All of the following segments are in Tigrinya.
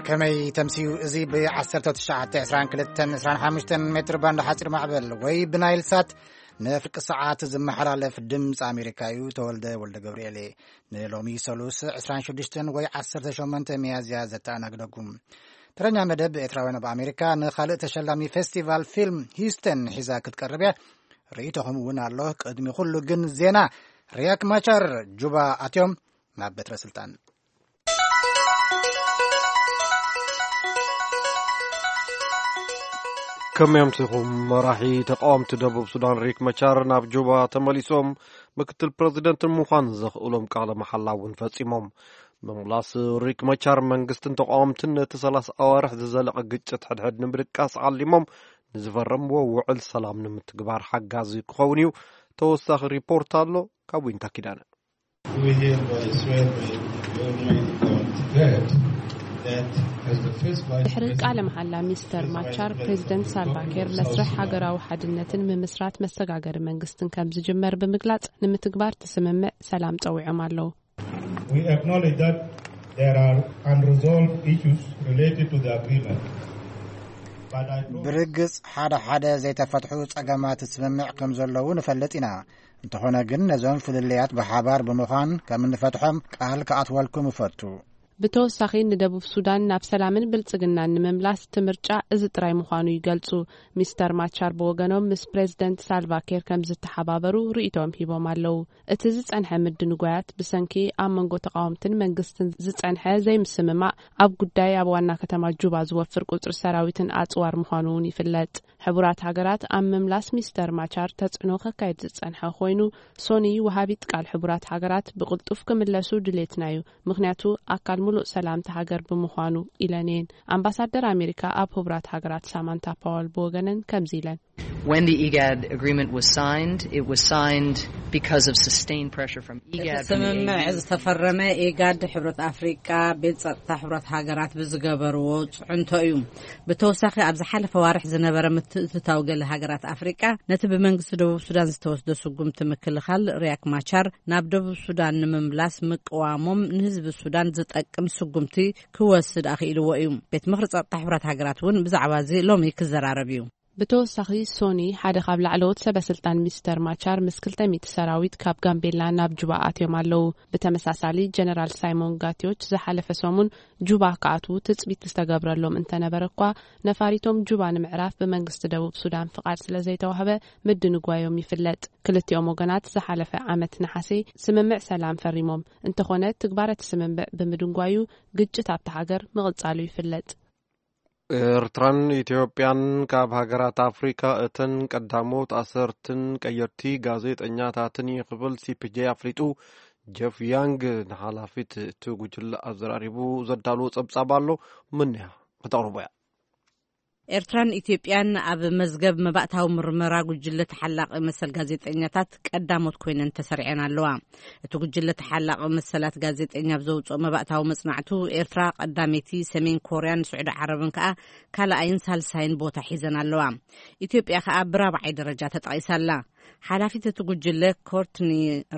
ከመይ ተምስዩ? እዚ ብ1922-25 ሜትር ባንድ ሓፂር ማዕበል ወይ ብናይል ሳት ንፍርቂ ሰዓት ዝመሓላለፍ ድምፂ ኣሜሪካ እዩ። ተወልደ ወልደ ገብርኤል እየ። ንሎሚ ሰሉስ 26 ወይ 18 ሚያዝያ ዘተኣናግደኩም ተረኛ መደብ ኤርትራውያን ኣብ ኣሜሪካ ንኻልእ ተሸላሚ ፌስቲቫል ፊልም ሂውስተን ሒዛ ክትቀርብ እያ። ርእይቶኹም እውን ኣሎ። ቅድሚ ኩሉ ግን ዜና። ሪያክ ማቻር ጁባ ኣትዮም ናብ በትረ ስልጣን። ከመይ ኣምሲኹም? መራሒ ተቃወምቲ ደቡብ ሱዳን ሪክ መቻር ናብ ጁባ ተመሊሶም ምክትል ፕረዚደንት ንምዃን ዘኽእሎም ቃለ መሓላ እውን ፈጺሞም። ምምላስ ሪክ መቻር መንግስትን ተቃወምትን ነቲ 30 ኣዋርሕ ዝዘለቐ ግጭት ሕድሕድ ንምድቃስ ዓሊሞም ንዝፈረምዎ ውዕል ሰላም ንምትግባር ሓጋዚ ክኸውን እዩ። ተወሳኺ ሪፖርት ኣሎ ካብ ዊንታ ኪዳነ። We hereby swear by the Almighty God that that as the first vice ድሕሪ president ቃለ መሓላ ሚስተር ማቻር፣ ፕሬዚደንት ሳልቫ ኪር መስርሕ ሃገራዊ ሓድነትን ምምስራት መሰጋገሪ መንግስትን ከም ዝጅመር ብምግላጽ፣ ንምትግባር እቲ ስምምዕ ሰላም ጸዊዖም ኣለዉ። We acknowledge that there are unresolved issues related to the agreement. But I promise ብርግጽ ሓደ ሓደ ዘይተፈትሑ ጸገማት ስምምዕ ከም ዘለዉ ንፈልጥ ኢና። እንተኾነ ግን ነዞም ፍልልያት ብሓባር ብምዃን ከም እንፈትሖም ቃል ክኣትወልኩም እፈቱ። ብተወሳኺ ንደቡብ ሱዳን ናብ ሰላምን ብልጽግናን ንምምላስ እቲ ምርጫ እዚ ጥራይ ምዃኑ ይገልጹ። ሚስተር ማቻር ብወገኖም ምስ ፕሬዚደንት ሳልቫ ኪር ከም ዝተሓባበሩ ርእይቶም ሂቦም ኣለዉ። እቲ ዝጸንሐ ምድንጓያት ብሰንኪ ኣብ መንጎ ተቃወምትን መንግስትን ዝጸንሐ ዘይምስምማዕ ኣብ ጉዳይ ኣብ ዋና ከተማ ጁባ ዝወፍር ቁጽሪ ሰራዊትን ኣጽዋር ምዃኑ እውን ይፍለጥ። ሕቡራት ሃገራት ኣብ ምምላስ ሚስተር ማቻር ተጽዕኖ ከካይድ ዝጸንሐ ኮይኑ፣ ሶኒ ወሃቢት ቃል ሕቡራት ሃገራት ብቕልጡፍ ክምለሱ ድሌትና እዩ፣ ምኽንያቱ ኣካል ሙሉእ ሰላምቲ ሃገር ብምዃኑ ኢለን እየን። ኣምባሳደር ኣሜሪካ ኣብ ሕቡራት ሃገራት ሳማንታ ፓወል ብወገነን ከምዚ ኢለን። When the IGAD agreement was signed, it was signed because of sustained pressure from እቲ IGAD from the ስምምዕ A U. ዝተፈረመ ኢጋድ፣ ሕብረት ኣፍሪቃ፣ ቤት ጸጥታ ሕብረት ሃገራት ብዝገበርዎ ጽዕንቶ እዩ። ብተወሳኺ ኣብ ዝሓለፈ ዋርሕ ዝነበረ ምትእትታው ገለ ሃገራት ኣፍሪቃ ነቲ ብመንግስቲ ደቡብ ሱዳን ዝተወስደ ስጉምቲ ምክልኻል ሪያክ ማቻር ናብ ደቡብ ሱዳን ንምምላስ ምቅዋሞም ንህዝቢ ሱዳን ዝጠቅም ስጉምቲ ክወስድ ኣኽኢልዎ እዩ። ቤት ምኽሪ ጸጥታ ሕብረት ሃገራት እውን ብዛዕባ እዚ ሎሚ ክዘራረብ እዩ። ብተወሳኺ ሶኒ ሓደ ካብ ላዕለዎት ሰበ ስልጣን ሚስተር ማቻር ምስ 200 ሰራዊት ካብ ጋምቤላ ናብ ጁባ ኣትዮም ኣለዉ። ብተመሳሳሊ ጀነራል ሳይሞን ጋቲዮች ዝሓለፈ ሰሙን ጁባ ክኣትዉ ትጽቢት ዝተገብረሎም እንተነበረ እኳ ነፋሪቶም ጁባ ንምዕራፍ ብመንግስቲ ደቡብ ሱዳን ፍቓድ ስለ ዘይተዋህበ ምድንጓዮም ይፍለጥ። ክልቲኦም ወገናት ዝሓለፈ ዓመት ነሓሴ ስምምዕ ሰላም ፈሪሞም እንተኾነ ትግባረ እቲ ስምምዕ ብምድንጓዩ ግጭት ኣብታ ሃገር ምቕጻሉ ይፍለጥ። ኤርትራን ኢትዮጵያን ካብ ሃገራት ኣፍሪካ እተን ቀዳሞት ኣሰርትን ቀየርቲ ጋዜጠኛታትን እዩ ክብል ሲ ፒ ጄ ኣፍሊጡ። ጀፍ ያንግ ንሓላፊት እቲ ጉጅለ ኣዘራሪቡ ዘዳልዎ ጸብጻብ ኣሎ። ምንያ ከተቕርቦ እያ። ኤርትራን ኢትዮጵያን ኣብ መዝገብ መባእታዊ ምርመራ ጉጅለ ተሓላቒ መሰል ጋዜጠኛታት ቀዳሞት ኮይነን ተሰሪዐን ኣለዋ። እቲ ጉጅለ ተሓላቒ መሰላት ጋዜጠኛ ኣብ ዘውፅኦ መባእታዊ መጽናዕቱ፣ ኤርትራ ቀዳመይቲ፣ ሰሜን ኮርያን ስዑዲ ዓረብን ከኣ ካልኣይን ሳልሳይን ቦታ ሒዘን ኣለዋ። ኢትዮጵያ ከኣ ብራብዓይ ደረጃ ተጠቒሳ ኣላ። ሓላፊት እቲ ጉጅለ ኮርትኒ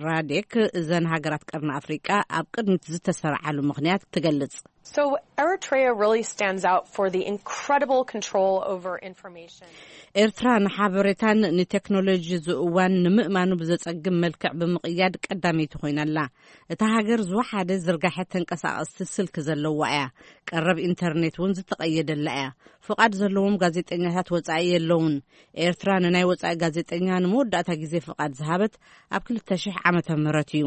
ራዴክ፣ እዘን ሃገራት ቀርኒ ኣፍሪቃ ኣብ ቅድሚት ዝተሰርዓሉ ምኽንያት ትገልጽ። So Eritrea really stands out for the incredible control over information. ኤርትራ ንሓበሬታን ንቴክኖሎጂ ዝእዋን ንምእማኑ ብዘጸግም መልክዕ ብምቕያድ ቀዳመይቲ ኮይና ኣላ። እታ ሃገር ዝወሓደ ዝርጋሐ ተንቀሳቐስቲ ስልኪ ዘለዋ እያ። ቀረብ ኢንተርኔት እውን ዝተቐየደላ እያ። ፍቓድ ዘለዎም ጋዜጠኛታት ወጻኢ የለውን። ኤርትራ ንናይ ወጻኢ ጋዜጠኛ ንመወዳእታ ግዜ ፍቓድ ዝሃበት ኣብ 2000 ዓመተ ምህረት እዩ።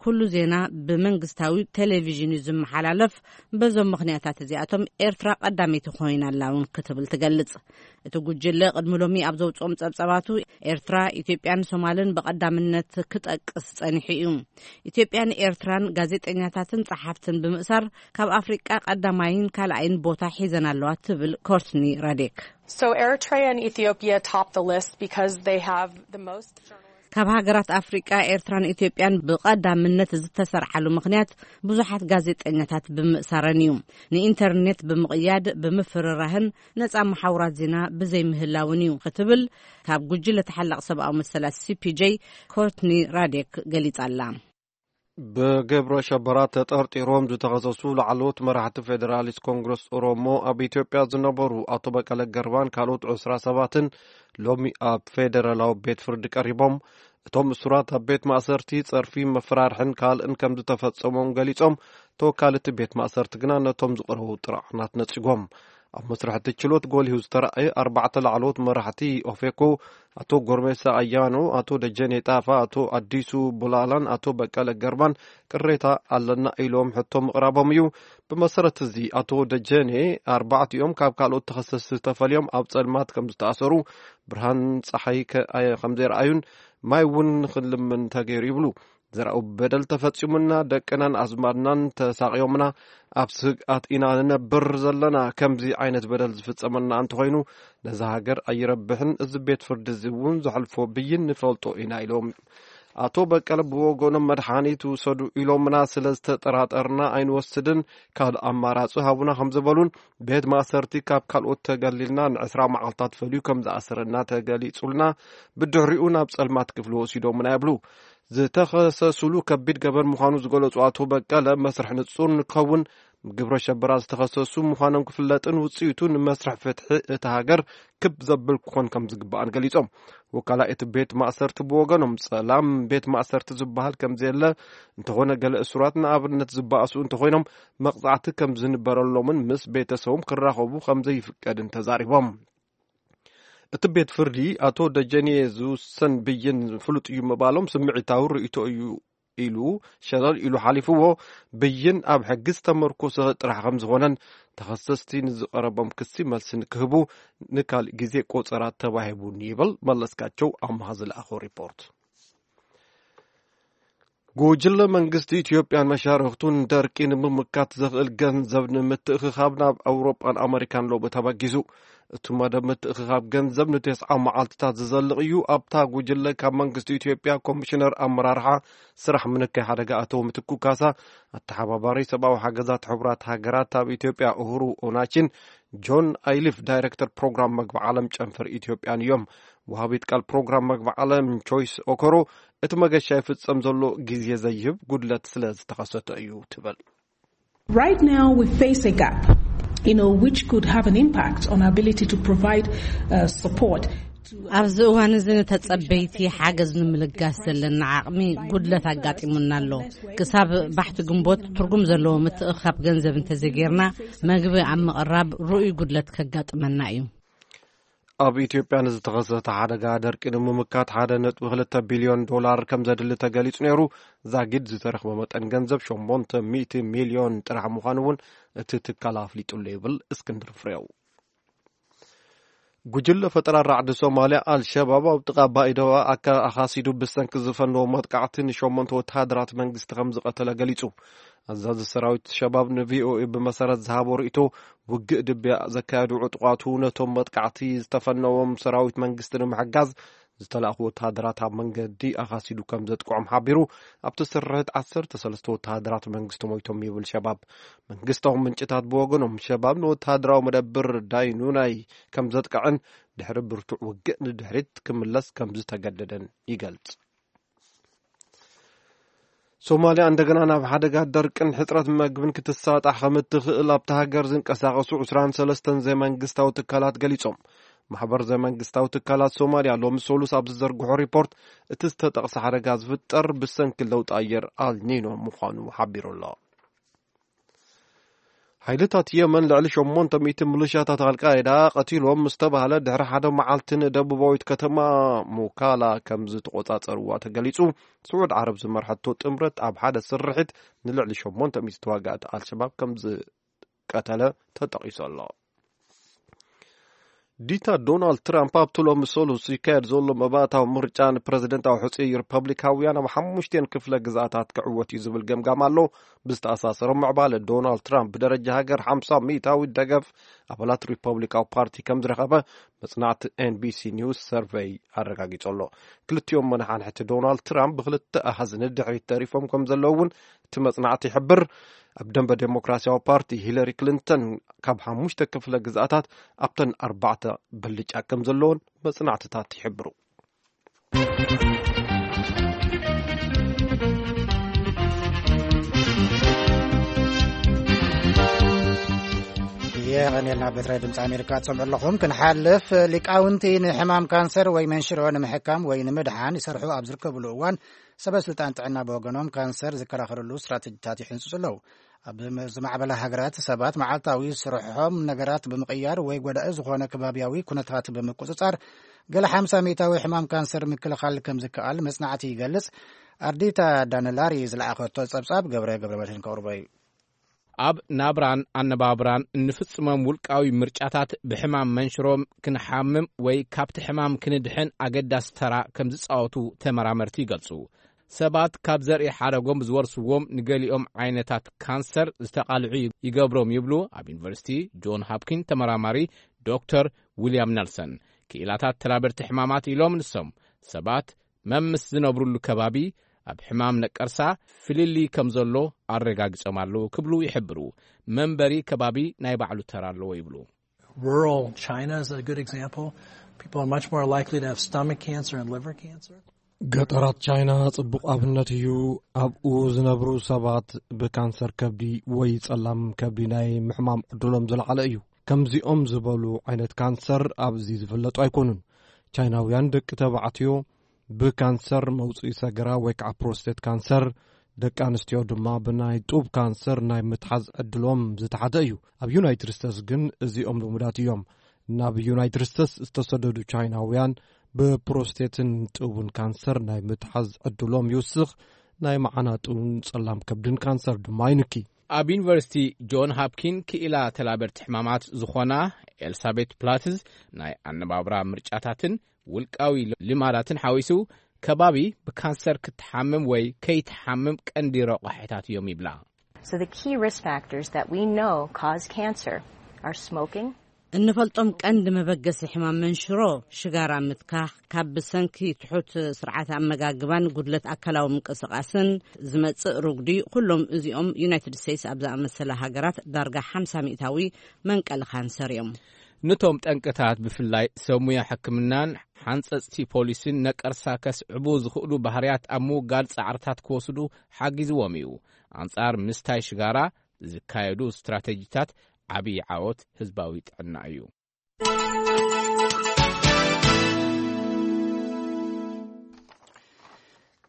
ኩሉ ዜና ብመንግስታዊ ቴሌቪዥን እዩ ዝመሓላለፍ። በዞም ምኽንያታት እዚኣቶም ኤርትራ ቀዳመይቲ ኮይና ኣላ እውን ክትብል ትገልጽ። እቲ ጉጅለ ቅድሚ ሎሚ ኣብ ዘውፅኦም ጸብጻባቱ፣ ኤርትራ፣ ኢትዮጵያን ሶማልን ብቐዳምነት ክጠቅስ ጸኒሑ እዩ። ኢትዮጵያን ኤርትራን ጋዜጠኛታትን ጸሓፍትን ብምእሳር ካብ ኣፍሪቃ ቀዳማይን ካልኣይን ቦታ ሒዘን ኣለዋ ትብል ኮርትኒ ራዴክ። So Eritrea and Ethiopia top the list because they have the most journalists. ካብ ሃገራት ኣፍሪቃ ኤርትራን ኢትዮጵያን ብቐዳምነት ዝተሰርዓሉ ምኽንያት ብዙሓት ጋዜጠኛታት ብምእሳረን እዩ። ንኢንተርኔት ብምቕያድ፣ ብምፍርራህን ነጻ መሓውራት ዜና ብዘይምህላውን እዩ ክትብል ካብ ጉጅለ ተሓላቕ ሰብኣዊ መሰላት ሲ ፒ ጄ ኮርትኒ ራዴክ ገሊጻ ኣላ። ብግብረ ሸበራ ተጠርጢሮም ዝተኸሰሱ ላዕለዎት መራሕቲ ፌደራሊስት ኮንግረስ ኦሮሞ፣ ኣብ ኢትዮጵያ ዝነበሩ ኣቶ በቀለ ገርባን ካልኦት ዕስራ ሰባትን ሎሚ ኣብ ፌደራላዊ ቤት ፍርዲ ቀሪቦም። እቶም እሱራት ኣብ ቤት ማእሰርቲ ጸርፊ፣ መፈራርሕን ካልእን ከም ዝተፈጸሞም ገሊጾም። ተወካሊ እቲ ቤት ማእሰርቲ ግና ነቶም ዝቐረቡ ጥርዓናት ነጺጎም። ኣብ መስርሕ እቲ ችሎት ጎሊሁ ዝተራእየ፣ ኣርባዕተ ላዕለዎት መራሕቲ ኦፌኮ፣ ኣቶ ጎርሜሳ ኣያኖ፣ ኣቶ ደጀኔ ጣፋ፣ ኣቶ ኣዲሱ ቡላላን ኣቶ በቀለ ገርባን ቅሬታ ኣለና ኢሎም ሕቶ ምቕራቦም እዩ። ብመሰረት እዚ፣ ኣቶ ደጀኔ፣ ኣርባዕቲኦም ካብ ካልኦት ተኸሰስቲ ተፈልዮም ኣብ ጸልማት ከም ዝተኣሰሩ፣ ብርሃን ጸሓይ ከ-፣ ኣየ-፣ ከም ዘይረኣዩን ማይ እውን ንኽንልምን ተገይሩ ይብሉ። ዘርኣዊ በደል ተፈጺሙና፣ ደቅናን ኣዝማድናን ተሳቕዮምና፣ ኣብ ስግኣት ኢና ንነብር ዘለና። ከምዚ ዓይነት በደል ዝፍጸመና እንተኾይኑ፣ ነዛ ሃገር ኣይረብሕን፣ እዚ ቤት ፍርዲ እዚ እውን ዘሕልፎ ብይን ንፈልጦ ኢና ኢሎም። ኣቶ በቀለ ብወገኖም፣ መድሓኒት ውሰዱ ኢሎምና፣ ስለ ዝተጠራጠርና ኣይንወስድን፣ ካልእ ኣማራጺ ሃቡና ከም ዝበሉን፣ ቤት ማእሰርቲ ካብ ካልኦት ተገሊልና ንዕስራ መዓልታት ፈልዩ ከም ዝኣሰረና ተገሊጹልና፣ ብድሕሪኡ ናብ ጸልማት ክፍሊ ወሲዶምና ይብሉ። ዝተኸሰሱሉ ከቢድ ገበን ምዃኑ ዝገለጹ ኣቶ በቀለ፣ መስርሕ ንጹር ንክኸውን፣ ግብረ ሸበራ ዝተኸሰሱ ምዃኖም ክፍለጥን ውጽኢቱ ንመስርሕ ፍትሒ እታ ሃገር ክብ ዘብል ክኾን ከም ዝግባእን ገሊጾም። ወካላይ እቲ ቤት ማእሰርቲ ብወገኖም፣ ጸላም ቤት ማእሰርቲ ዝበሃል ከም ዘየለ፣ እንተኾነ ገለ እሱራት ንኣብነት ዝበኣሱ እንተኾይኖም፣ መቕጻዕቲ ከም ዝንበረሎምን ምስ ቤተሰቦም ክራኸቡ ከም ዘይፍቀድን ተዛሪቦም። እቲ ቤት ፍርዲ፣ ኣቶ ደጀኔ ዝውሰን ብይን ፍሉጥ እዩ ምባሎም ስምዒታዊ ርእይቶ እዩ ኢሉ፣ ሸለል ኢሉ ሓሊፍዎ። ብይን ኣብ ሕጊ ዝተመርኮሰ ጥራሕ ከም ዝኾነን፣ ተኸሰስቲ ንዝቐረቦም ክሲ መልሲ ንክህቡ ንካልእ ግዜ ቆጸራ ተባሂቡን ይብል መለስካቸው ኣምሃ ዝለኣኾ ሪፖርት። ጉጅለ መንግስቲ ኢትዮጵያን መሻርኽቱን ደርቂ ንምምካት ዘኽእል ገንዘብ ንምትእኽኻብ ናብ ኣውሮጳን ኣመሪካን ሎሚ ተበጊሱ። እቲ መደብ ምትእኽኻብ ገንዘብ ንተስዓ መዓልትታት ዝዘልቕ እዩ። ኣብታ ጉጅለ ካብ መንግስቲ ኢትዮጵያ ኮሚሽነር ኣመራርሓ ስራሕ ምንካይ ሓደጋ ኣቶ ምትኩ ካሳ፣ ኣተሓባባሪ ሰብኣዊ ሓገዛት ሕቡራት ሃገራት ኣብ ኢትዮጵያ ኡሁሩ ኦናቺን፣ ጆን ኣይሊፍ ዳይሬክተር ፕሮግራም መግቢ ዓለም ጨንፈር ኢትዮጵያን እዮም። ወሃቢት ቃል ፕሮግራም መግቢ ዓለም ቾይስ ኦኮሮ፣ እቲ መገሻ ይፍጸም ዘሎ ግዜ ዘይህብ ጉድለት ስለ ዝተኸሰተ እዩ ትብል። Right now, we face a gap, you know, which could have an impact on our ability to provide uh, support. ኣብዚ እዋን እዚ ንተጸበይቲ ሓገዝ ንምልጋስ ዘለና ዓቕሚ ጉድለት ኣጋጢሙና ኣሎ። ክሳብ ባሕቲ ግንቦት ትርጉም ዘለዎ ምትእኻብ ገንዘብ እንተዘይጌርና፣ መግቢ ኣብ ምቕራብ ርኡይ ጉድለት ከጋጥመና እዩ። ኣብ ኢትዮጵያ ንዝተኸሰተ ሓደጋ ደርቂ ንምምካት ሓደ ነጥቢ ክልተ ቢልዮን ዶላር ከም ዘድሊ ተገሊጹ ነይሩ። ዛጊድ ዝተረኽበ መጠን ገንዘብ ሸሞንተ ሚእቲ ሚልዮን ጥራሕ ምዃኑ እውን እቲ ትካል ኣፍሊጡሉ ይብል እስክንድር ፍሬው። ጉጅለ ፈጠራ ራዕዲ ሶማልያ ኣልሸባብ ኣብ ጥቓ ባይደዋ ኣካ-፣ ኣኻሲዱ ብሰንኪ ዝፈነዎ መጥቃዕቲ ንሸሞንተ ወተሃደራት መንግስቲ ከም ዝቐተለ ገሊጹ። ኣዛዚ ሰራዊት ሸባብ ንቪኦኤ ብመሰረት ዝሃቦ ርእይቶ፣ ውግእ ድብያ ዘካየዱ ዕጡቓቱ ነቶም መጥቃዕቲ ዝተፈነዎም ሰራዊት መንግስቲ ንምሕጋዝ ዝተላእኹ ወተሃደራት ኣብ መንገዲ ኣኻሲዱ ከም ዘጥቅዖም ሓቢሩ። ኣብቲ ስርሒት ዓሰርተ ሰለስተ ወተሃደራት መንግስቲ ሞይቶም ይብል ሸባብ። መንግስታዊ ምንጭታት ብወገኖም፣ ሸባብ ንወተሃደራዊ መደብር ዳይኑናይ ከም ዘጥቅዐን ድሕሪ ብርቱዕ ውግእ ንድሕሪት ክምለስ ከም ዝተገደደን ይገልጽ። ሶማልያ እንደገና ናብ ሓደጋ ደርቅን ሕጽረት መግብን ክትሳጣሕ ከም እትኽእል ኣብታ ሃገር ዝንቀሳቐሱ ዕስራን ሰለስተን ዘይመንግስታዊ ትካላት ገሊጾም። ማሕበር ዘይመንግስታዊ ትካላት ሶማልያ ሎሚ ሰሉስ ኣብ ዝዘርግሖ ሪፖርት፣ እቲ ዝተጠቕሰ ሓደጋ ዝፍጠር ብሰንኪ ለውጢ ኣየር ኣልኒኖ ምዃኑ ሓቢሩ ኣሎ። ሓይልታት የመን ልዕሊ ሸሞንተ ሚእቲ ምልሻታት ኣልቃይዳ ቀቲሎም ምስ ተባህለ ድሕሪ ሓደ መዓልቲ ንደቡባዊት ከተማ ሙካላ ከም ዝተቖጻጸርዋ ተገሊጹ። ስዑድ ዓረብ ዝመርሐቶ ጥምረት ኣብ ሓደ ስርሒት ንልዕሊ ሸሞንተ ሚእቲ ተዋጋእቲ ኣልሸባብ ከም ዝቀተለ ተጠቒሱ ኣሎ። ዲታ ዶናልድ ትራምፕ ኣብቲ ሎሚ ሰሉስ ይካየድ ዘሎ መባእታዊ ምርጫ ንፕረዚደንታዊ ሕጹይ ሪፐብሊካውያን ኣብ ሓሙሽቴን ክፍለ ግዝኣታት ክዕወት እዩ ዝብል ገምጋም ኣሎ። ብዝተኣሳሰሮ ምዕባለ፣ ዶናልድ ትራምፕ ብደረጃ ሃገር ሓምሳ ሚእታዊ ደገፍ ኣባላት ሪፐብሊካዊ ፓርቲ ከም ዝረኸበ መጽናዕቲ ኤንቢሲ ኒውስ ሰርቨይ ኣረጋጊጹ ኣሎ። ክልቲኦም መናሓንሕቲ ዶናልድ ትራምፕ ብክልተ ኣሃዝ ንድሕሪት ተሪፎም ከም ዘለዉ እውን እቲ መጽናዕቲ ይሕብር። ኣብ ደንበ ዴሞክራሲያዊ ፓርቲ፣ ሂለሪ ክሊንተን ካብ ሓሙሽተ ክፍለ ግዝኣታት ኣብተን ኣርባዕተ ብልጫ ከም ዘለዎን መጽናዕትታት ይሕብሩ። የቐንየልና። ቤት ራድዮ ድምፂ ኣሜሪካ ትሰምዑ ኣለኹም። ክንሓልፍ፣ ሊቃውንቲ ንሕማም ካንሰር ወይ መንሽሮ ንምሕካም ወይ ንምድሓን ይሰርሑ ኣብ ዝርከብሉ እዋን፣ ሰበ ስልጣን ጥዕና ብወገኖም ካንሰር ዝከላኸልሉ ስትራተጂታት ይሕንፅፁ ኣለዉ። ኣብ ዝማዕበላ ሃገራት ሰባት መዓልታዊ ስርሖም ነገራት ብምቕያር ወይ ጎዳኢ ዝኾነ ከባቢያዊ ኩነታት ብምቁፅፃር፣ ገለ ሓምሳ ሚእታዊ ሕማም ካንሰር ምክልኻል ከም ዝከኣል መጽናዕቲ ይገልጽ። ኣርዲታ ዳነላሪ ዝለኣኸቶ ጸብጻብ ገብረ ገብረ መድህን ከቕርቦ እዩ። ኣብ ናብራን ኣነባብራን እንፍጽሞም ውልቃዊ ምርጫታት ብሕማም መንሽሮ ክንሓምም ወይ ካብቲ ሕማም ክንድሕን ኣገዳሲ ተራ ከም ዝጻወቱ ተመራመርቲ ይገልጹ። ሰባት ካብ ዘርኢ ሓረጎም ዝወርስዎም ንገሊኦም ዓይነታት ካንሰር ዝተቓልዑ ይገብሮም ይብሉ ኣብ ዩኒቨርሲቲ ጆን ሃፕኪን ተመራማሪ ዶክተር ዊልያም ነልሰን። ክኢላታት ተላበድቲ ሕማማት ኢሎም ንሶም ሰባት መምስ ዝነብሩሉ ከባቢ ኣብ ሕማም ነቀርሳ ፍልልይ ከም ዘሎ ኣረጋጊጾም ኣለዉ ክብሉ ይሕብሩ። መንበሪ ከባቢ ናይ ባዕሉ ተራ ኣለዎ ይብሉ። Rural China is a good example. People are much more likely to have stomach cancer and liver cancer. ገጠራት ቻይና ጽቡቕ ኣብነት እዩ። ኣብኡ ዝነብሩ ሰባት ብካንሰር ከብዲ ወይ ጸላም ከብዲ ናይ ምሕማም ዕድሎም ዝለዓለ እዩ። ከምዚኦም ዝበሉ ዓይነት ካንሰር ኣብዚ ዝፍለጡ ኣይኮኑን። ቻይናውያን ደቂ ተባዕትዮ ብካንሰር መውጽኢ ሰገራ ወይ ከዓ ፕሮስቴት ካንሰር፣ ደቂ ኣንስትዮ ድማ ብናይ ጡብ ካንሰር ናይ ምትሓዝ ዕድሎም ዝተሓተ እዩ። ኣብ ዩናይትድ ስቴትስ ግን እዚኦም ልሙዳት እዮም። ናብ ዩናይትድ ስቴትስ ዝተሰደዱ ቻይናውያን ብፕሮስቴትን ጡብን ካንሰር ናይ ምትሓዝ ዕድሎም ይውስኽ፣ ናይ መዓናጥኡን ጸላም ከብድን ካንሰር ድማ ይንኪ። ኣብ ዩኒቨርሲቲ ጆን ሃፕኪን ክኢላ ተላበድቲ ሕማማት ዝኾና ኤልሳቤት ፕላትዝ፣ ናይ ኣነባብራ ምርጫታትን ውልቃዊ ልማዳትን ሓዊሱ ከባቢ ብካንሰር ክትሓምም ወይ ከይትሓምም ቀንዲ ረቋሒታት እዮም ይብላ። So the key risk factors that we know cause cancer are smoking. እንፈልጦም ቀንዲ መበገሲ ሕማም መንሽሮ ሽጋራ ምትካኽ፣ ካብ ብሰንኪ ትሑት ስርዓት ኣመጋግባን ጉድለት ኣካላዊ ምንቅስቓስን ዝመጽእ ሩጉዲ፣ ኩሎም እዚኦም ዩናይትድ ስቴትስ ኣብ ዝኣመሰላ ሃገራት ዳርጋ ሓምሳ ሚእታዊ መንቀሊ ካንሰር እዮም። ነቶም ጠንቅታት ብፍላይ ሰብ ሙያ ሕክምናን ሓንጸጽቲ ፖሊስን ነቀርሳ ከስዕቡ ዝኽእሉ ባህርያት ኣብ ምውጋድ ጻዕርታት ክወስዱ ሓጊዝዎም እዩ። ኣንጻር ምስታይ ሽጋራ ዝካየዱ ስትራተጂታት ዓብዪ ዓወት ህዝባዊ ጥዕና እዩ።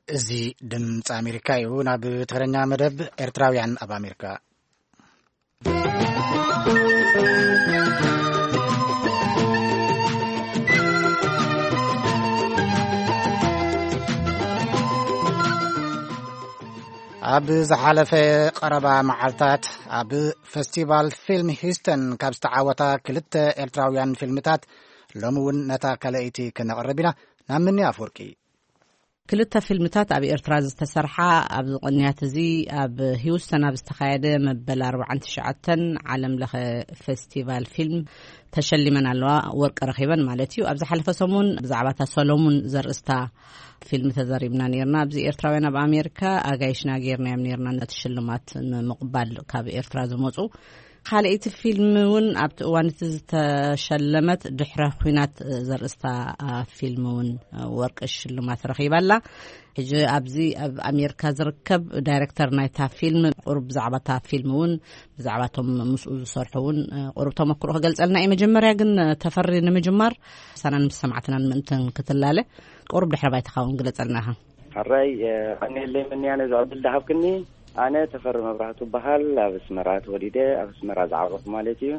እዚ ድምፂ ኣሜሪካ እዩ። ናብ ትግርኛ መደብ። ኤርትራውያን ኣብ ኣሜሪካ። ኣብ ዝሓለፈ ቀረባ መዓልታት ኣብ ፈስቲቫል ፊልም ሂውስተን ካብ ዝተዓወታ ክልተ ኤርትራውያን ፊልምታት ሎሚ እውን ነታ ካልኣይቲ ክነቕርብ ኢና። ናብ ምኒ ኣፍወርቂ። ክልተ ፊልምታት ኣብ ኤርትራ ዝተሰርሓ ኣብዚ ቅንያት እዚ ኣብ ሂውስተን ኣብ ዝተኻየደ መበል ኣርባዓን ትሽዓተን ዓለም ለኸ ፈስቲቫል ፊልም ተሸሊመን ኣለዋ፣ ወርቂ ረኺበን ማለት እዩ። ኣብ ዝሓለፈ ሰሙን ብዛዕባ እታ ሰሎሙን ዘርእስታ ፊልም ተዛሪብና ነይርና። ኣብዚ ኤርትራውያን ኣብ ኣሜሪካ ኣጋይሽና ጌርናዮም ነይርና ነቲ ሽልማት ንምቕባል ካብ ኤርትራ ዝመጹ። ካልኣይቲ ፊልም እውን ኣብቲ እዋን እቲ ዝተሸለመት ድሕረ ኲናት ዘርእስታ ፊልም እውን ወርቂ ሽልማት ረኺባ ኣላ። ሕጂ ኣብዚ ኣብ ኣሜሪካ ዝርከብ ዳይሬክተር ናይታ ፊልም ቁሩብ ብዛዕባ እታ ፊልም እውን ብዛዕባ እቶም ምስኡ ዝሰርሑ እውን ቁሩብ ተመክሮ ክገልጸልና እዩ። መጀመርያ ግን ተፈሪ ንምጅማር ሳናን ምስ ሰማዕትናን ምእንትን ክትላለ ቁሩብ ድሕረ ባይታኻ እውን ግለጸልና ኢኻ። ሕራይ፣ እ፣ ቀኒለይ ምንያ ነዚ ዕድል ዝሃብክኒ። ኣነ ተፈሪ መብራህቱ እበሃል። ኣብ ኣስመራ ተወሊደ፣ ኣብ ኣስመራ ዝዓበኹ ማለት እዩ።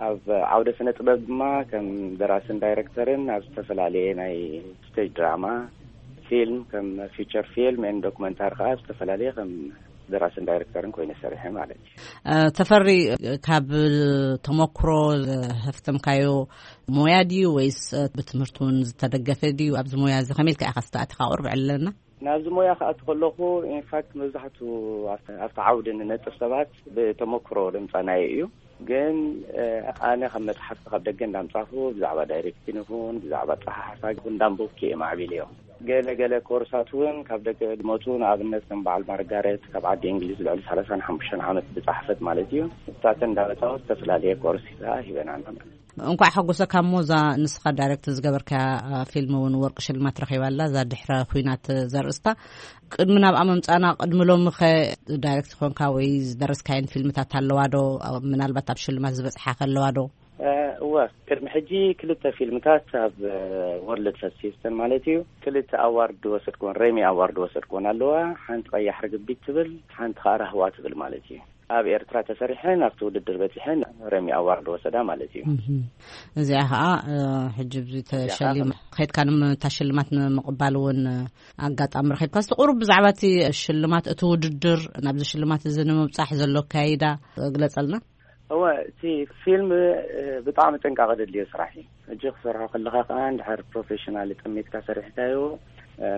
ኣብ ዓውደ ስነ ጥበብ ድማ ከም ደራስን ዳይረክተርን ኣብ ዝተፈላለየ ናይ ስቴጅ ድራማ፣ ፊልም፣ ከም ፊቸር ፊልም ኤን ዶክመንታሪ ከኣ ኣብ ዝተፈላለየ ከም ደራስን ዳይረክተርን ኮይነ ሰሪሐ ማለት እዩ። እ፣ ተፈሪ፣ ካብ ተመክሮ ዘህፍተምካዮ ሞያ ድዩ ወይስ፣ እ፣ ብትምህርቲ እውን ዝተደገፈ ድዩ? ኣብዚ ሞያ እዚ ከመይ ኢልካ ኢኻ ዝተኣትኻ? ቁርብ ዕለና። ናብዚ ሞያ ክኣቱ ከለኹ፣ ኢንፋክት፣ መብዛሕቱ ኣብቲ፣ ኣብቲ ዓውዲ ንነጥፍ ሰባት ብተመክሮ ድምፃናዮ እዩ። ግን፣ እ፣ ኣነ ካብ መፅሓፍቲ ካብ ደገ እንዳምፃኹ ብዛዕባ ዳይሬክቲን ይኹን ብዛዕባ ኣፀሓሕፋ ይኹን እንዳንበብኩ እየ ማዕቢለዮ። ገለ ገለ ኮርሳት እውን ካብ ደገ ድመፁ፣ ንኣብነት ከም በዓል ማርጋሬት ካብ ዓዲ እንግሊዝ ልዕሊ ሰላሳን ሓሙሽተን ዓመት ዝፀሓፈት ማለት እዩ። ንሳተን እንዳመፃወት ዝተፈላለየ ኮርስ ከዓ ሂበናና ማለት እዩ። እንኳዕ ሓጎሰካ። እሞ እዛ ንስኻ ዳይሬክት ዝገበርካያ ፊልም እውን ወርቂ ሽልማት ረኺባላ፣ እዛ ድሕረ ኩናት ዘርእስታ። ቅድሚ ናብኣ ምምፃና፣ ቅድሚ ሎሚ ኸ ዳይሬክት ኮንካ ወይ ዝደረስካየን ፊልምታት ኣለዋ ዶ? ምናልባት ኣብ ሽልማት ዝበፅሓ ከለዋ ዶ? እወ፣ ቅድሚ ሕጂ ክልተ ፊልምታት ኣብ ወርልድ ፈስቲስተን ማለት እዩ፣ ክልተ ኣዋርድ ወሰድኩን፣ ሬሚ ኣዋርድ ወሰድኩን ኣለዋ። ሓንቲ ቀያሕ ርግቢት ትብል፣ ሓንቲ ከዓ ራህዋ ትብል ማለት እዩ። ኣብ ኤርትራ ተሰሪሐን ኣብቲ ውድድር በፂሐን ሬሚ ኣዋርድ ወሰዳ ማለት እዩ። እዚኣ ከዓ ሕጂ ብዙ ተሸሊም ከድካ ንምታ ሽልማት ንምቕባል እውን ኣጋጣሚ ረኺብካ። እስቲ ቁሩብ ብዛዕባ እቲ ሽልማት፣ እቲ ውድድር፣ ናብዚ ሽልማት እዚ ንምብፃሕ ዘሎ ኣካይዳ ግለፀልና። እወ፣ እቲ ፊልም ብጣዕሚ ጥንቃቐ ዘድልዮ ስራሕ እዩ። ሕጂ ክሰርሖ ከለኻ ከዓ እንድሕር ፕሮፌሽናል ጠሚትካ ሰሪሕካዮ፣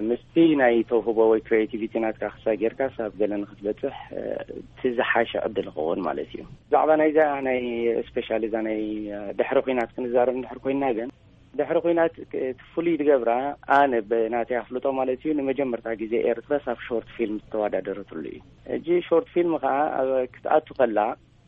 ምስቲ ናይ ተውህቦ ወይ ክሪኤቲቪቲ ናትካ ክሳይ ጌርካ ሳብ ገለ ንክትበፅሕ፣ እቲ ዝሓሸ ዕድል ይኸውን ማለት እዩ። ብዛዕባ ናይዛ ናይ ስፔሻል እዛ ናይ ድሕሪ ኩናት ክንዛረብ እንድሕር ኮይና ግን፣ ድሕሪ ኩናት እቲ ፍሉይ ዝገብራ፣ ኣነ ብናተይ ኣፍልጦ ማለት እዩ፣ ንመጀመርታ ግዜ ኤርትራ ሳብ ሾርት ፊልም ዝተወዳደረትሉ እዩ። ሕጂ ሾርት ፊልም ከዓ ኣብ ክትኣቱ ከላ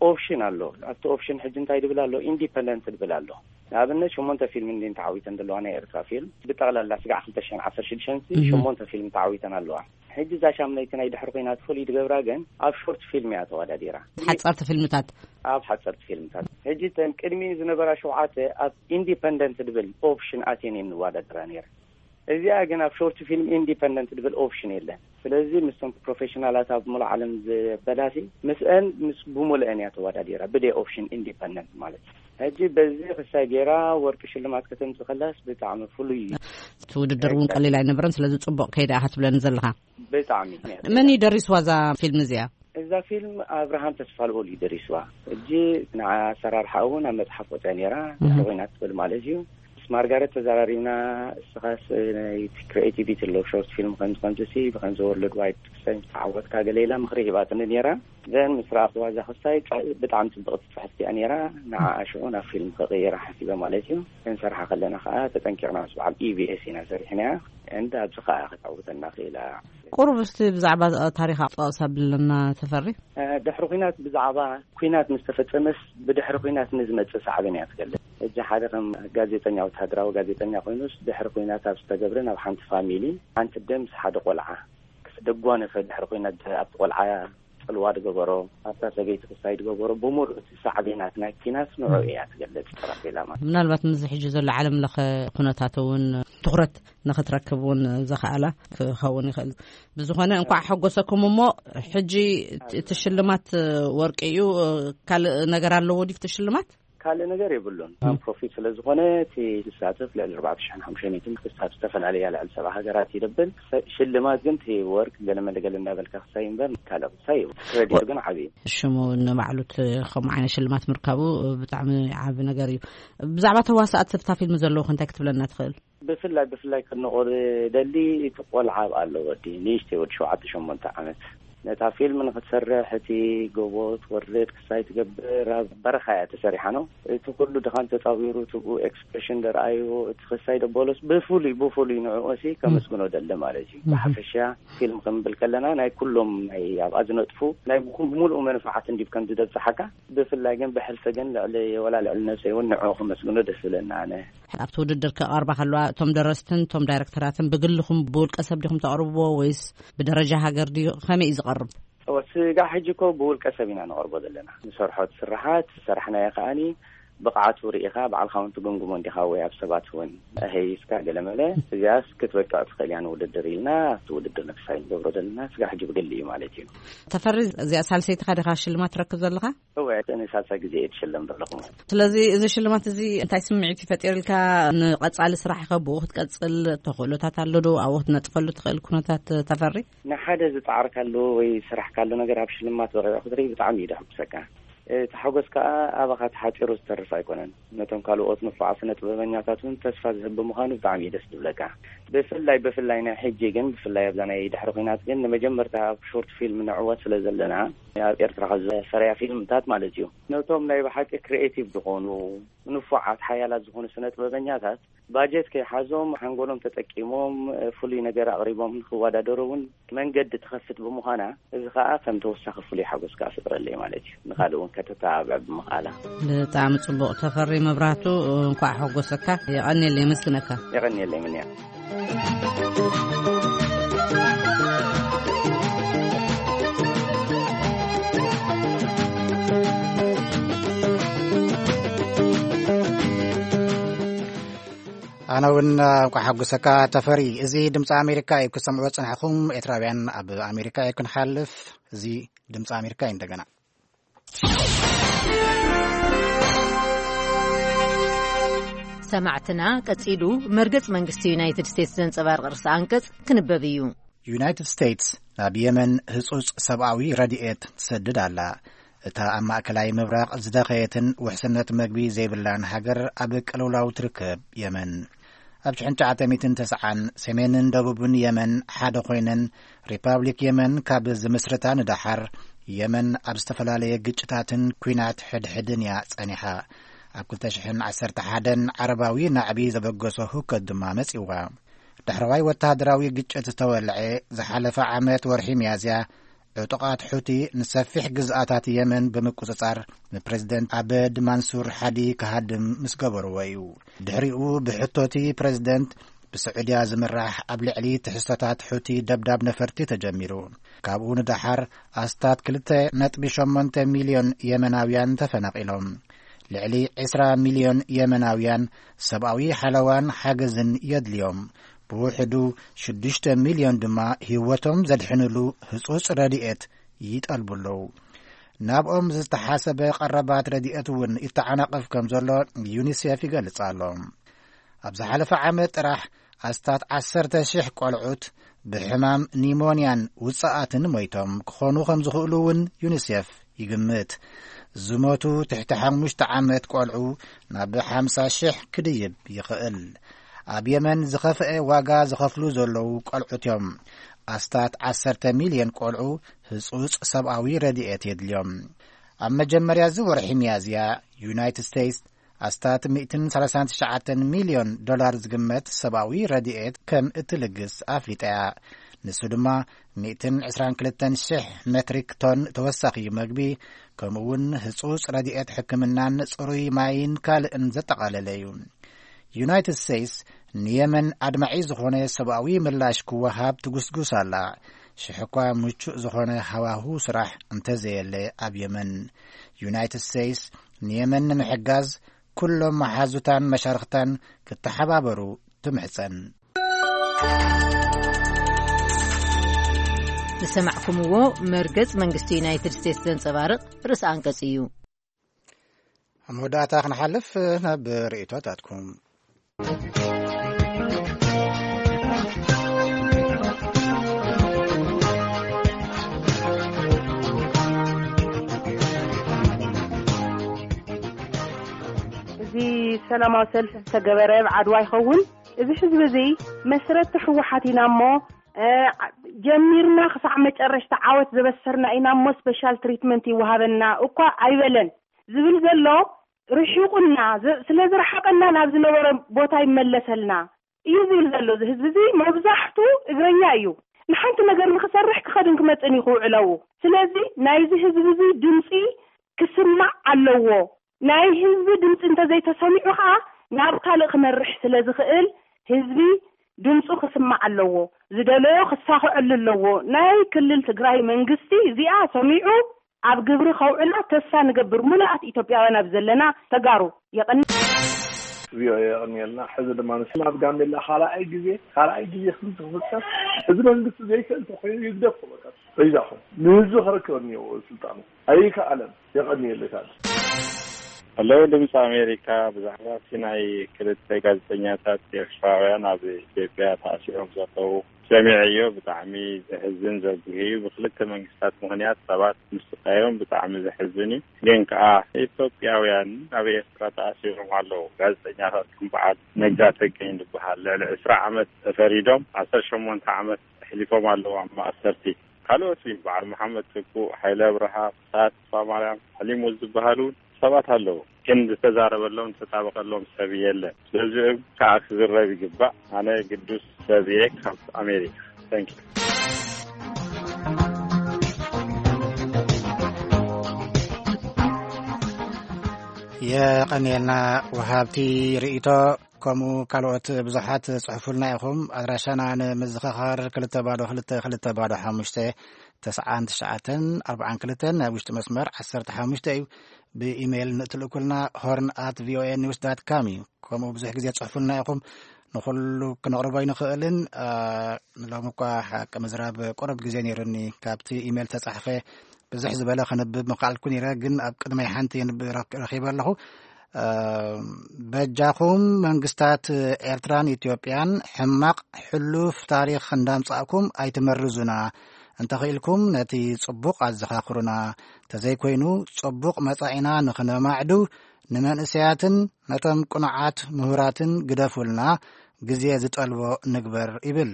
ኦፕሽን ኣሎ። ኣብቲ ኦፕሽን ሕጂ እንታይ ድብል ኣሎ? ኢንዲፐንደንት ድብል ኣሎ። ንኣብነት ሸሞንተ ፊልም እንዲን ተዓዊተን ዘለዋ ናይ ኤርትራ ፊልም፣ ብጠቕላላ ስጋዕ ክልተ ሽሕን ዓሰርተ ሽዱሽተን ሸሞንተ ፊልም ተዓዊተን ኣለዋ። ሕጂ እዛ ሻምናይቲ ናይ ድሕሪ ኮይና ትፈልዩ ድገብራ ግን ኣብ ሾርት ፊልም እያ ተወዳዲራ። ሓፀርቲ ፊልምታት። ኣብ ሓፀርቲ ፊልምታት። ሕጂ ተን ቅድሚ ዝነበራ ሸውዓተ ኣብ ኢንዲፐንደንት ድብል ኦፕሽን ኣትየን እየን ንወዳደራ ነይረ። እዚኣ ግን ኣብ ሾርት ፊልም ኢንዲፐንደንት ድብል ኦፕሽን የለን። ስለዚ ምስቶም ፕሮፌሽናላት ኣብ ሙሉእ ዓለም ዝበላሲ ምስአን ምስ ብሙሉአን እያ ተወዳዲራ ብደይ ኦፕሽን ኢንዲፐንደንት ማለት እዩ። ሕጂ በዚ ክሳይ ጌራ ወርቂ ሽልማት ከተምጽእ ከላስ ብጣዕሚ ፍሉይ እዩ። እቲ ውድድር እውን ቀሊል ኣይነበረን፣ ስለዚ ጽቡቕ ከይዳ ኢኻ ትብለኒ ዘለኻ። ብጣዕሚ። መን እዩ ደሪስዋ እዛ ፊልም እዚኣ? እዛ ፊልም ኣብርሃም ተስፋልኦል እዩ ደሪስዋ። ሕጂ ንዓ ኣሰራርሓ እውን ኣብ መጽሓፍ ወፅያ ነይራ፣ ድሕሪ ኮይና ትብል ማለት እዩ። ምስ ማርጋሬት ተዘራሪብና፣ እስኻስ ናይ ክሪኤቲቪቲ ኣሎ፣ ሾርት ፊልም ከምዚ ከምዚ ሲ ብከምዚ ወርልድ ዋይድ ክሳይ ምስ ተዓወትካ ገለ ኢላ ምኽሪ ሂባትኒ ነይራ። ዘን ምስ ረኣኽዋ እዛ ክሳይ ብጣዕሚ ጽብቕቲ ጽሕፍቲ እያ ነይራ። ንዓ ሽዑ ናብ ፊልም ክቕይራ ሓሲበ ማለት እዩ። ክንሰርሓ ከለና ከዓ ተጠንቂቕና ምስ በዓል ኢቢኤስ ኢና ሰሪሕናያ። እንዳ ኣብዚ ከዓ ክትዓውተና ክኢላ። ቁሩብ እስቲ ብዛዕባ ታሪኻ ጠቕስ ኣብለና ተፈሪ። ድሕሪ ኩናት ብዛዕባ ኩናት ምስ ተፈጸመስ ብድሕሪ ኩናት ንዝመጽእ ሳዕቤን እያ ትገልጽ። ሕጂ ሓደ ከም ጋዜጠኛ፣ ወተሃደራዊ ጋዜጠኛ ኮይኑስ ድሕሪ ኩናት ኣብ ዝተገብረ ናብ ሓንቲ ፋሚሊ ሓንቲ ኣደ ምስ ሓደ ቆልዓ ክስ-፣ ደጓነፈ ድሕሪ ኩናት ኣብቲ ቆልዓ ጽልዋ ድገበሮ፣ ኣብታ ሰበይቲ ክሳይ ድገበሮ፣ ብምሉእ እቲ ሳዕቤናት ናይ ኩናት ንዑ እያ ትገልጽ። ጠራፌላ ማለት ምናልባት ምስዚ ሕጂ ዘሎ ዓለም ለኸ ኩነታት እውን ትኹረት ንኽትረክብ እውን ዘኽኣላ ክኸውን ይኽእል። ብዝኾነ እንኳዕ ሓጎሰኩም። እሞ ሕጂ እቲ ሽልማት ወርቂ እዩ። ካልእ ነገር ኣለዎ ድዩ እቲ ሽልማት? ካልእ ነገር የብሉን። ፕሮፊት ስለ ዝኾነ እቲ ዝሳተፍ ልዕሊ ኣርባዕተ ሽሕን ሓሙሽተ ሚእትን ክሳብ ዝተፈላለያ ልዕሊ ሰብዓ ሃገራት ይደብል። ሽልማት ግን እቲ ወርቅ ገለ መለ ገለ እንዳበልካ ክሳይ እምበር ካልእ ክሳይ የብሉን። ክሬዲት ግን ዓብዪ እዩ። ሽሙ ንባዕሉ እቲ ከምኡ ዓይነት ሽልማት ምርካቡ ብጣዕሚ ዓቢ ነገር እዩ። ብዛዕባ ተዋሳእቲ ኣብታ ፊልም ዘለዉ እንታይ ክትብለና ትኽእል? ብፍላይ፣ ብፍላይ ከድንቖ ደሊ እቲ ቆልዓ ኣብኣ ኣሎ፣ ወዲ ንእሽተይ፣ ወዲ ሸውዓተ ሸሞንተ ዓመት። ነታ ፊልም ንኽትሰርሕ እቲ ጎቦ ትወርድ ክሳይ ትገብር ኣብ በረኻ እያ ተሰሪሓ ነው። እቲ ኩሉ ድኻን ተጻዊሩ፣ ትብኡ ኤክስፕሬሽን ደርኣዩ፣ እቲ ክሳይ ደበሎስ ብፍሉይ፣ ብፍሉይ ንዕኦሲ ከመስግኖ ደሊ ማለት እዩ። ብሓፈሻ ፊልም ክንብል ከለና ናይ ኩሎም ናይ ኣብኣ ዝነጥፉ ናይ ብኩ-፣ ብምሉኡ መንፋዓት እንዲብ ከም ዝደብጽሓካ፣ ብፍላይ ግን ብሕልፊ ግን ልዕሊ፣ ወላ ልዕሊ ነብሰይ እውን ንዕኡ ከመስግኖ ደስ ዝብለና ኣነ። ኣብቲ ውድድር ክቐርባ ከለዋ እቶም ደረስትን እቶም ዳይረክተራትን ብግልኹም ብውልቀ ሰብ ዲኹም ተቕርብዎ ወይስ ብደረጃ ሃገር ድዩ? ከመይ እዩ ዝቐርብ? እወ፣ ስጋዕ ሕጂ እኮ ብውልቀ ሰብ ኢና ነቕርቦ ዘለና። ንሰርሖ ስርሓት፣ ዝሰራሕናዮ ከኣኒ ብቕዓቱ ርኢኻ ባዕልኻ እውን ትግምግሞ እንዲኻ ወይ ኣብ ሰባት እውን ኣሀይስካ ገለመለ። እዚኣስ ክትበቅዕ ትኽእል እያ ንውድድር ኢልና ኣብቲ ውድድር ንክሳይ ንገብሮ ዘለና ስጋዕ ሕጂ ብግሊ እዩ ማለት እዩ። ተፈሪ፣ እዚኣ ሳልሰይትኻ ዲኻ ሽልማት ትረክብ ዘለኻ? እወ፣ እቲ ንሳልሳይ ግዜ እየ ዝሽለም ዘለኹ። ስለዚ እዚ ሽልማት እዚ እንታይ ስምዒት እዩ ፈጢርልካ? ንቐጻሊ ስራሕኸ ብኡ ክትቀጽል ተኽእሎታት ኣሎ ዶ? ኣብኡ ክትነጥፈሉ ትኽእል ኩነታት ተፈሪ? ንሓደ ዝጻዕርካሉ ወይ ዝሰራሕካሉ ነገር ኣብ ሽልማት በቒዑ ክትርኢ ብጣዕሚ እዩ ደሕጉሰካ። እቲ ሓጎስ ከኣ ኣባኻ ተሓጺሩ ዝተርፍ ኣይኮነን። ነቶም ካልኦት ንፉዓት ስነ ጥበበኛታት እውን ተስፋ ዝህብ ብምዃኑ ብጣዕሚ እዩ ደስ ዝብለካ። ብፍላይ፣ ብፍላይ ናይ ሕጂ ግን፣ ብፍላይ ኣብዛ ናይ ድሕሪ ኲናት ግን ንመጀመርታ ኣብ ሾርት ፊልም ንዕወት ስለ ዘለና፣ ኣብ ኤርትራ ካብ ዝፈረያ ፊልምታት ማለት እዩ። ነቶም ናይ ብሓቂ ክሪኤቲቭ ዝኾኑ፣ ንፉዓት ሓያላት ዝኾኑ ስነ ጥበበኛታት ባጀት ከይሓዞም ሓንጎሎም ተጠቂሞም ፍሉይ ነገር ኣቕሪቦም ንክወዳደሩ እውን መንገዲ ትኸፍት ብምዃና፣ እዚ ከዓ ከም ተወሳኺ ፍሉይ ሓጎስ ከዓ ፈጥረለይ ማለት እዩ። ንኻልእ እውን ከተተባብዕ ብምኽኣላ። ብጣዕሚ ጽቡቕ። ተፈሪ መብራህቱ፣ እንኳዕ ሓጎሰካ። የቐንየለይ፣ የመስግነካ። የቐንየለይ ምንያ። ኣነ እውን እንኳዕ ሓጎሰካ ተፈሪ። እዚ ድምፂ ኣሜሪካ እዩ። ክሰምዕዎ ዝፅናሕኹም ኤርትራውያን ኣብ ኣሜሪካ እዩ ክንሓልፍ። እዚ ድምፂ ኣሜሪካ እዩ። እንደገና ሰማዕትና፣ ቀጺሉ መርገጽ መንግስቲ ዩናይትድ ስቴትስ ዘንጸባርቕ ርእሰ ኣንቀጽ ክንበብ እዩ። ዩናይትድ ስቴትስ ናብ የመን ህጹጽ ሰብኣዊ ረድኤት ትሰድድ ኣላ። እታ ኣብ ማእከላይ ምብራቕ ዝደኸየትን ውሕስነት መግቢ ዘይብላን ሃገር ኣብ ቅልውላው ትርከብ የመን። ኣብ ሽሕን ትሽዓተ ሚእትን ተስዓን ሰሜንን ደቡብን የመን ሓደ ኮይነን፣ ሪፓብሊክ የመን ካብ ዝምስርታ ንደሓር፣ የመን ኣብ ዝተፈላለየ ግጭታትን ኲናት ሕድሕድን እያ ጸኒሓ። ኣብ ክልተ ሽሕን ዓሰርተ ሓደን ዓረባዊ ናዕቢ ዘበገሶ ህውከት ድማ መጺዋ። ዳሕረዋይ ወተሃደራዊ ግጭት ዝተወልዐ ዝሓለፈ ዓመት ወርሒ ሚያዝያ፣ ዕጡቓት ሑቲ ንሰፊሕ ግዝኣታት የመን ብምቁጽጻር፣ ንፕረዚደንት ኣበድ ማንሱር ሓዲ ክሃድም ምስ ገበርዎ እዩ። ድሕሪኡ ብሕቶቲ ፕረዚደንት ብስዑድያ ዝምራሕ ኣብ ልዕሊ ትሕዝቶታት ሑቲ ደብዳብ ነፈርቲ ተጀሚሩ። ካብኡ ንደሓር ኣስታት ክልተ ነጥቢ ሸሞንተ ሚልዮን የመናውያን ተፈናቒሎም። ልዕሊ ዕስራ ሚልዮን የመናውያን ሰብኣዊ ሓለዋን ሓገዝን የድልዮም። ብውሕዱ ሽዱሽተ ሚልዮን ድማ ህይወቶም ዘድሕንሉ ህጹጽ ረድኤት ይጠልቡ ኣለዉ። ናብኦም ዝተሓሰበ ቀረባት ረድኤት እውን ይተዓናቐፍ ከም ዘሎ ዩኒሴፍ ይገልጽ ኣሎ። ኣብ ዝሓለፈ ዓመት ጥራሕ ኣስታት ዓሰርተ ሽሕ ቆልዑት ብሕማም ኒሞንያን ውጽኣትን ሞይቶም ክኾኑ ከም ዝኽእሉ እውን ዩኒሴፍ ይግምት። ዝሞቱ ትሕቲ ሓሙሽተ ዓመት ቆልዑ ናብ ሓምሳ ሽሕ ክድይብ ይኽእል። ኣብ የመን ዝኸፍአ ዋጋ ዝኸፍሉ ዘለዉ ቆልዑት እዮም። ኣስታት ዓሰርተ ሚልዮን ቆልዑ ህጹጽ ሰብኣዊ ረድኤት የድልዮም። ኣብ መጀመርያ እዚ ወርሒ ሚያዝያ፣ ዩናይትድ ስቴትስ ኣስታት ሚእትን ሰላሳን ትሽዓተን ሚልዮን ዶላር ዝግመት ሰብኣዊ ረድኤት ከም እትልግስ ኣፍሊጣ እያ። ንሱ ድማ ሚእትን ዕስራን ክልተን ሽሕ ሜትሪክ ቶን ተወሳኺ መግቢ፣ ከምኡ'ውን ህጹጽ ረድኤት ሕክምናን ጽሩይ ማይን ካልእን ዘጠቓለለ እዩ። ዩናይትድ ስቴትስ ንየመን ኣድማዒ ዝኾነ ሰብኣዊ ምላሽ ክወሃብ ትጉስጉስ ኣላ። ሽሕ እኳ ምቹእ ዝኾነ ሃዋሁ ስራሕ እንተዘየለ ኣብ የመን፣ ዩናይትድ ስቴትስ ንየመን ንምሕጋዝ ኩሎም መሓዙታን መሻርኽታን ክተሓባበሩ ትምሕጸን። ዝሰማዕኩምዎ መርገጽ መንግስቲ ዩናይትድ ስቴትስ ዘንጸባርቕ ርእሰ ኣንቀጽ እዩ። ኣብ መወዳእታ ክንሓልፍ ናብ ርእይቶታትኩም። እዚ ሰላማዊ ሰልፊ ዝተገበረ ኣብ ዓድዋ ይኸውን። እዚ ህዝቢ እዚ መስረቲ ህወሓት ኢና እሞ፣ እ፣ ጀሚርና ክሳዕ መጨረሽታ ዓወት ዘበሰርና ኢና እሞ ስፔሻል ትሪትመንት ይወሃበና እኳ ኣይበለን። ዝብል ዘሎ ርሒቑና፣ ዝ-፣ ስለ ዝረሓቐና ናብ ዝነበረ ቦታ ይመለሰልና እዩ ዝብል ዘሎ። እዚ ህዝቢ እዚ መብዛሕቱ እግረኛ እዩ። ንሓንቲ ነገር ንክሰርሕ ክኸድን ክመጽእን እዩ ክውዕለዉ። ስለዚ ናይዚ ህዝቢ እዚ ድምፂ ክስማዕ ኣለዎ። ናይ ህዝቢ ድምፂ እንተዘይተሰሚዑ ከዓ ናብ ካልእ ክመርሕ ስለ ዝኽእል ህዝቢ ድምፁ ክስማዕ ኣለዎ። ዝደለዮ ክሳኽዐሉ ኣለዎ። ናይ ክልል ትግራይ መንግስቲ እዚኣ ሰሚዑ ኣብ ግብሪ ከውዕላ ተስፋ ንገብር። ሙሉኣት ኢትዮጵያውያን ኣብ ዘለና ተጋሩ። የቐኒ። ቪኦኤ የቐንየልና። ሕዚ ድማ ንስና ኣብ ጋምቤላ ካልኣይ ግዜ፣ ካልኣይ ግዜ ክንዲ ክፍጠር፣ እዚ መንግስቲ ዘይክእል እንተኾይኑ ይግደፍ፣ በቃ በይዛኹም። ንህዝቢ ክረክብ እኒኦ ስልጣኑ። ኣይከኣለን። የቐንየለይ ታዲያ። ሄሎ ድምፂ ኣሜሪካ፣ ብዛዕባ እቲ ናይ ክልተ ጋዜጠኛታት ኤርትራውያን ኣብ ኢትዮጵያ ተኣሲሮም ዘለዉ ሰሚዐዮ። ብጣዕሚ ዘሕዝን ዘጉሂ እዩ። ብክልተ መንግስታት ምኽንያት ሰባት ምስቃዮም ብጣዕሚ ዘሕዝን እዩ። ግን ከኣ ኢትዮጵያውያን ኣብ ኤርትራ ተኣሲሮም ኣለዉ። ጋዜጠኛታት ከም በዓል ነጋ ተገኝ ዝበሃል ልዕሊ ዕስራ ዓመት ተፈሪዶም ዓሰርተ ሸሞንተ ዓመት ኣሕሊፎም ኣለዉ ኣብ ማእሰርቲ። ካልኦት እውን በዓል መሓመድ ትኩእ፣ ሓይለ ኣብርሃ፣ ፍስሃ ተስፋማርያም፣ ሓሊሞት ዝበሃሉ እውን ሰባት ኣለዉ፣ ግን ዝተዛረበሎም ዝተጣበቀሎም ሰብ የለን። ስለዚ ከዓ ክዝረብ ይግባእ። ኣነ ግዱስ ሰብ እየ ካብ ኣሜሪካ። Thank you። የቐንየልና ወሃብቲ ርእይቶ፣ ከምኡ ካልኦት ብዙሓት ጽሑፉልና ኢኹም። ኣድራሻና ንምዝኽኻር ክልተ ባዶ ክልተ ክልተ ባዶ ሓሙሽተ ተስዓን ትሽዓተን ኣርባዓን ክልተን፣ ናይ ውሽጢ መስመር ዓሰርተ ሓሙሽተ እዩ። ብኢሜይል ንእትልእኩልና ሆርን ኣት ቪኦኤ ኒውስ ዳት ካም እዩ። ከምኡ ብዙሕ ግዜ ጽሑፉልና ኢኹም፣ ንኹሉ ክነቕርቦ ኣይንኽእልን። ሎሚ እኳ ሓቂ ምዝራብ ቁሩብ ግዜ ነይሩኒ፣ ካብቲ ኢሜይል ተጻሕፈ ብዙሕ ዝበለ ከንብብ ምኽኣልኩ ነይረ፣ ግን ኣብ ቅድመይ ሓንቲ የንብ ረኺበ ኣለኹ። በጃኹም መንግስታት ኤርትራን ኢትዮጵያን ሕማቕ ሕሉፍ ታሪኽ እንዳምጻእኩም ኣይትመርዙና። እንተኽኢልኩም ነቲ ጽቡቕ ኣዘኻኽሩና። ተዘይኮይኑ ጽቡቕ መጻኢና ንኽነማዕዱ ንመንእሰያትን ነቶም ቅኑዓት ምሁራትን ግደፉልና። ግዜ ዝጠልቦ ንግበር ይብል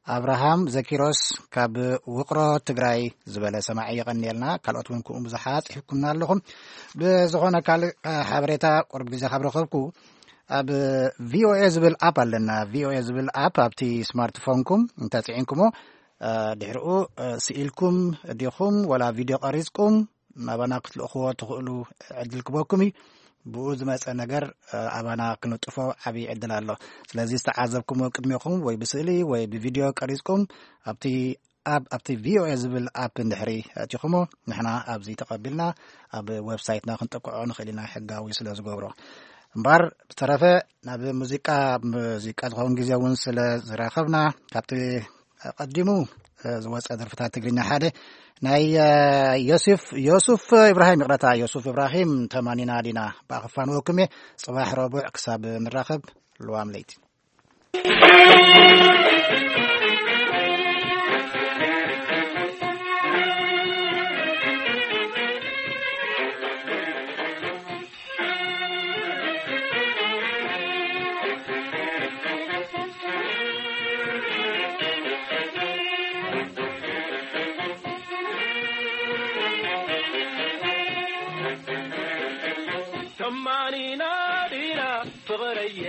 ኣብርሃም ዘኪሮስ ካብ ውቕሮ ትግራይ ዝበለ ሰማዒ። የቐንየልና። ካልኦት እውን ከምኡ ብዙሓት ጽሒፍኩምና ኣለኹም። ብዝኾነ ካልእ ሓበሬታ ቁሩብ ግዜ ካብ ረኸብኩ ኣብ ቪኦኤ ዝብል ኣፕ ኣለና። ቪኦኤ ዝብል ኣፕ ኣብቲ ስማርትፎንኩም እንተጽዒንኩሞ ድሕሪኡ ስኢልኩም ዲኹም ወላ ቪድዮ ቀሪጽኩም ናባና ክትልእኽዎ ትኽእሉ ዕድል ክበኩም እዩ። ብኡ ዝመፀ ነገር ኣባና ክንጥፎ ዓብዪ ዕድል ኣሎ። ስለዚ ዝተዓዘብኩሞ ቅድሜኹም ወይ ብስእሊ ወይ ብቪድዮ ቀሪፅኩም ኣብቲ ኣብ ኣብቲ ቪኦኤ ዝብል ኣፕ እንድሕሪ ኣእቲኹሞ ንሕና ኣብዚ ተቐቢልና ኣብ ዌብሳይትና ክንጥቅዖ ንኽእል ኢና፣ ሕጋዊ ስለ ዝገብሮ። እምበኣር ብተረፈ ናብ ሙዚቃ፣ ሙዚቃ ዝኸውን ግዜ እውን ስለ ዝረኸብና ካብቲ ቀዲሙ ዝወፀ ደርፍታት ትግርኛ ሓደ ናይ ዮሱፍ ዮሱፍ ኢብራሂም፣ ይቕረታ፣ ዮሱፍ ኢብራሂም ተማኒና ዲና ብኣኽፋን ወክሜ። ጽባሕ ረቡዕ ክሳብ ንራኸብ፣ ልዋም ለይቲ። ተማኒና ዲና ፍቕረየ፣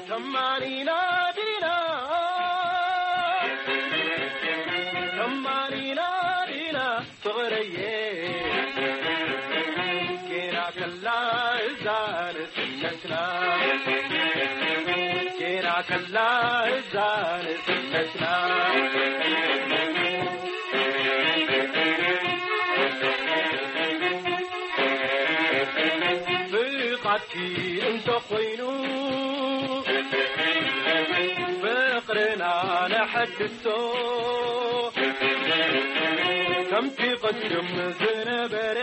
ተማኒና ዲና፣ ተማኒና ዲና ፍቕረየ፣ ጌና ከላ እዛ ንስነትና፣ ጌና ከላ እዛ ንስነትና። ፍቓድኪ እንተኾይኑ ፍቕርና ነሐድሶ፣ ከምቲ ቅድም ዝነበረ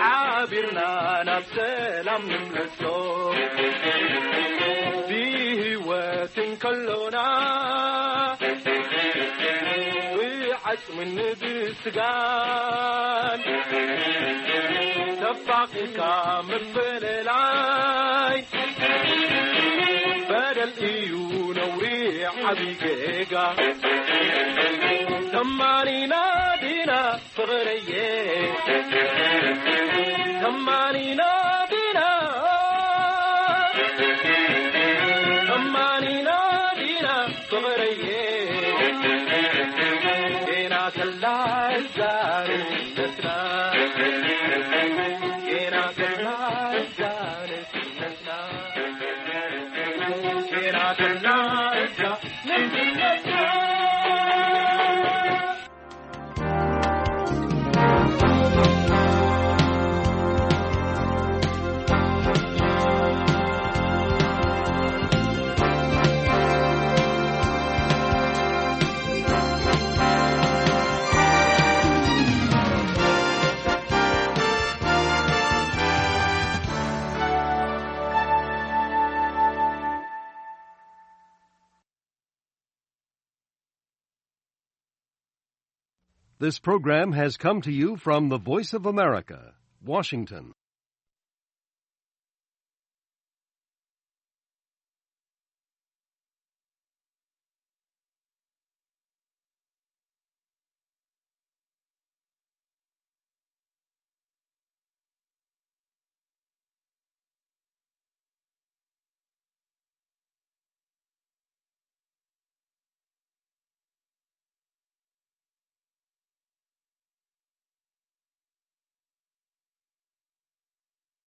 ሓቢርና ናብ ሰላም ንምለሶ። ብህይወት እንከሎና ብዓጽምን ብስጋን ተፋቒርካ ምፍልላይ በደል እዩ ነውሪ ዓብዪ ጌጋ። ተማኒና ዲና ፍቕረየ፣ ተማኒና ዲና፣ ተማኒና ዲና ፍቕረየ፣ ጌና ከላ እዛ ንስነትና፣ ጌና ከላ እዛ ንስነትና፣ ጌና ከላ እዛ ንስነትና። This program has come to you from the Voice of America, Washington.